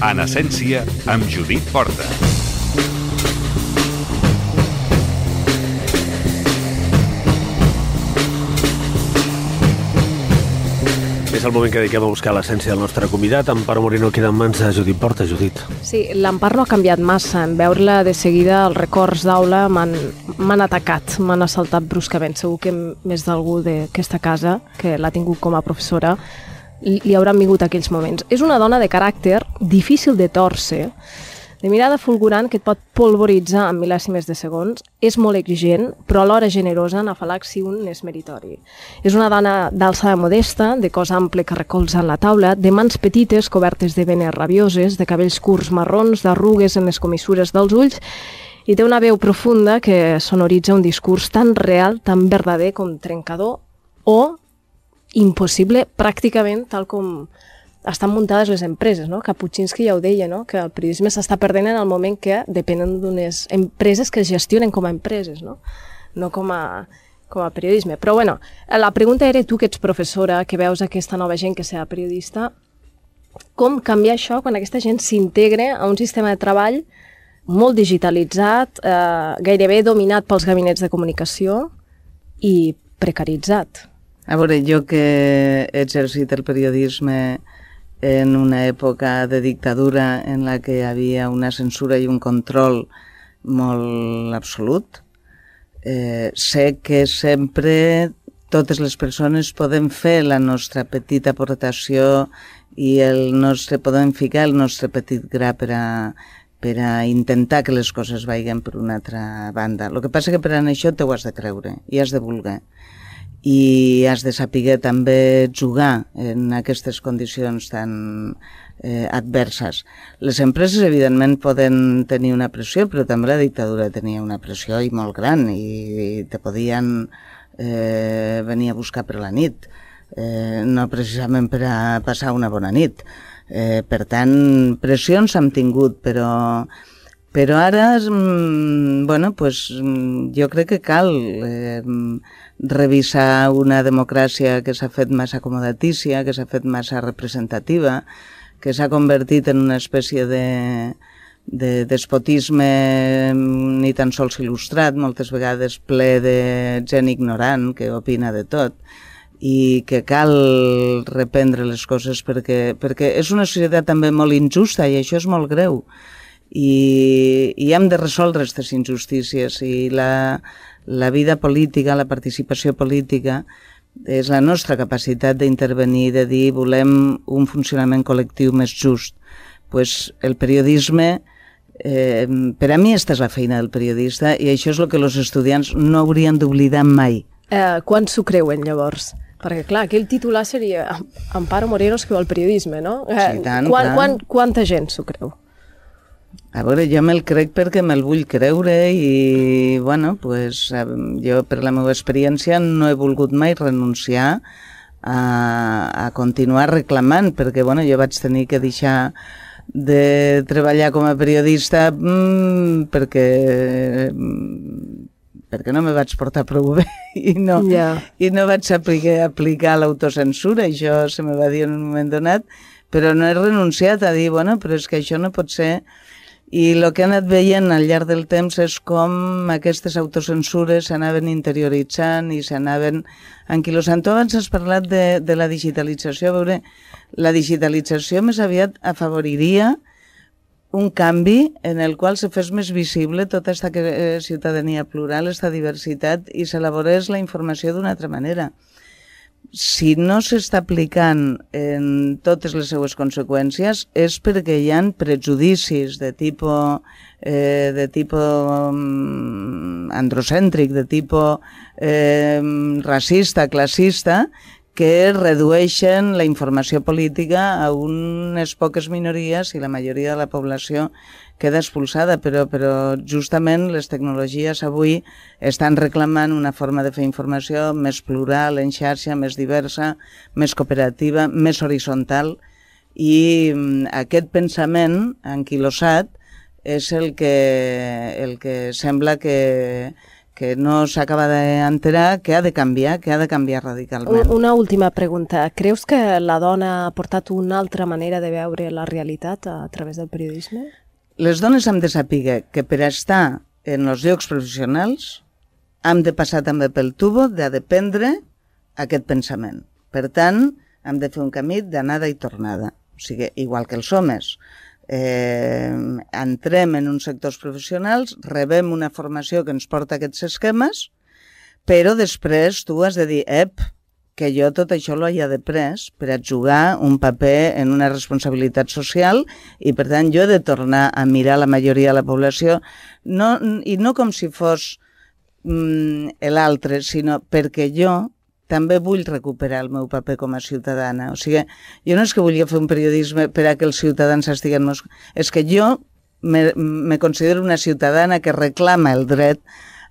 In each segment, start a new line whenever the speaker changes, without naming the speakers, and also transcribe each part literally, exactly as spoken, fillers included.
En essència, amb Judit Porta.
És el moment que dediquem a buscar l'essència del nostre convidat. Amparo Moreno queda en mans de Judit Porta. Judit.
Sí, l'Empar no ha canviat massa. En veure-la de seguida, els records d'aula m'han atacat, m'han assaltat bruscament. Segur que més d'algú d'aquesta casa, que l'ha tingut com a professora, li hauran vingut aquells moments. És una dona de caràcter difícil de tòrcer, de mirada fulgurant que et pot polvoritzar en mil·lèsimes de segons, és molt exigent, però alhora generosa, en afalac si un és meritori. És una dona d'alçada modesta, de cos ample que recolza en la taula, de mans petites cobertes de venes rabioses, de cabells curts marrons, d'arrugues en les comissures dels ulls, i té una veu profunda que sonoritza un discurs tan real, tan verdader com trencador, o impossible, pràcticament tal com estan muntades les empreses, no? Kapuscinski ja ho deia, no? Que el periodisme s'està perdent en el moment que depenen d'unes empreses que es gestionen com a empreses, no? No com a, com a periodisme. Però bueno, la pregunta era, tu que ets professora, que veus aquesta nova gent que serà periodista, com canviar això quan aquesta gent s'integre a un sistema de treball molt digitalitzat, eh, gairebé dominat pels gabinets de comunicació i precaritzat?
A veure, jo que he exercit el periodisme en una època de dictadura en la que hi havia una censura i un control molt absolut, eh, sé que sempre totes les persones podem fer la nostra petita aportació i el nostre, podem ficar el nostre petit gra per a, per a intentar que les coses vagin per una altra banda. El que passa que per a això t'ho has de creure i has de voler. I has de saber també jugar en aquestes condicions tan eh, adverses. Les empreses, evidentment, poden tenir una pressió, però també la dictadura tenia una pressió i molt gran, i, i te podien eh, venir a buscar per la nit, eh, no precisament per a passar una bona nit. Eh, per tant, pressions hem tingut, però... Però ara, bueno, pues, jo crec que cal eh, revisar una democràcia que s'ha fet massa acomodatícia, que s'ha fet massa representativa, que s'ha convertit en una espècie de, de despotisme ni tan sols il·lustrat, moltes vegades ple de gent ignorant que opina de tot, i que cal reprendre les coses perquè, perquè és una societat també molt injusta i això és molt greu. I, i hem de resoldre aquestes injustícies i la, la vida política, la participació política és la nostra capacitat d'intervenir, de dir volem un funcionament col·lectiu més just. Pues el periodisme, eh, per a mi aquesta és la feina del periodista i això és el que els estudiants no haurien d'oblidar mai.
Eh, quan s'ho creuen llavors? Perquè clar, aquell titular seria Amparo Moreno escriu el periodisme, no? Eh,
sí, tant,
quan, quan, quanta gent s'ho creu?
A veure, jo me'l crec perquè me'l vull creure i, bueno, pues, jo per la meva experiència no he volgut mai renunciar a, a continuar reclamant, perquè, bueno, jo vaig tenir que deixar de treballar com a periodista mmm, perquè, perquè no me vaig portar prou bé i no, yeah. i no vaig aplicar, aplicar l'autocensura, això se me va dir en un moment donat, però no he renunciat a dir, bueno, però és que això no pot ser. I el que he anat veient al llarg del temps és com aquestes autocensures s'anaven interioritzant i s'anaven anquilosant. Tu abans has parlat de, de la digitalització. A veure, la digitalització més aviat afavoriria un canvi en el qual se fes més visible tota aquesta ciutadania plural, aquesta diversitat, i s'elaborés la informació d'una altra manera. Si no s'està aplicant en totes les seues conseqüències és perquè hi ha prejudicis de tipus, eh, de tipus androcèntric, de tipus eh, racista, classista, que redueixen la informació política a unes poques minories i la majoria de la població queda expulsada, però, però justament les tecnologies avui estan reclamant una forma de fer informació més plural, en xarxa, més diversa, més cooperativa, més horitzontal, i aquest pensament anquilosat és el que, el que sembla que, que no s'acaba d'enterar que ha de canviar, que ha de canviar radicalment.
Una última pregunta. Creus que la dona ha portat una altra manera de veure la realitat a través del periodisme?
Les dones hem de saber que per estar en els llocs professionals hem de passar també pel tubo de dependre aquest pensament. Per tant, hem de fer un camí d'anada i tornada. O sigui, igual que els homes. Eh, entrem en uns sectors professionals, rebem una formació que ens porta a aquests esquemes, però després tu has de dir, ep, que jo tot això l'ho he après per a jugar un paper en una responsabilitat social i per tant jo he de tornar a mirar la majoria de la població no, i no com si fos mm, l'altre, sinó perquè jo també vull recuperar el meu paper com a ciutadana. O sigui, jo no és que volia fer un periodisme per a que els ciutadans estiguen... Meus... És que jo me, me considero una ciutadana que reclama el dret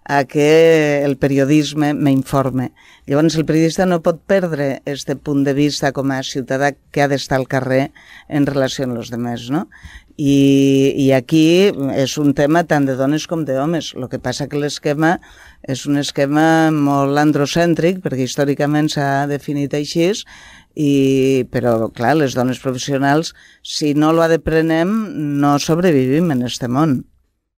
a que el periodisme m'informe. Llavors, el periodista no pot perdre este punt de vista com a ciutadà que ha d'estar al carrer en relació amb els altres, no? I, i aquí és un tema tant de dones com d'homes. El que passa que l'esquema és un esquema molt androcèntric, perquè històricament s'ha definit així, i, però, clar, les dones professionals, si no lo aprenem, no sobrevivim en este món.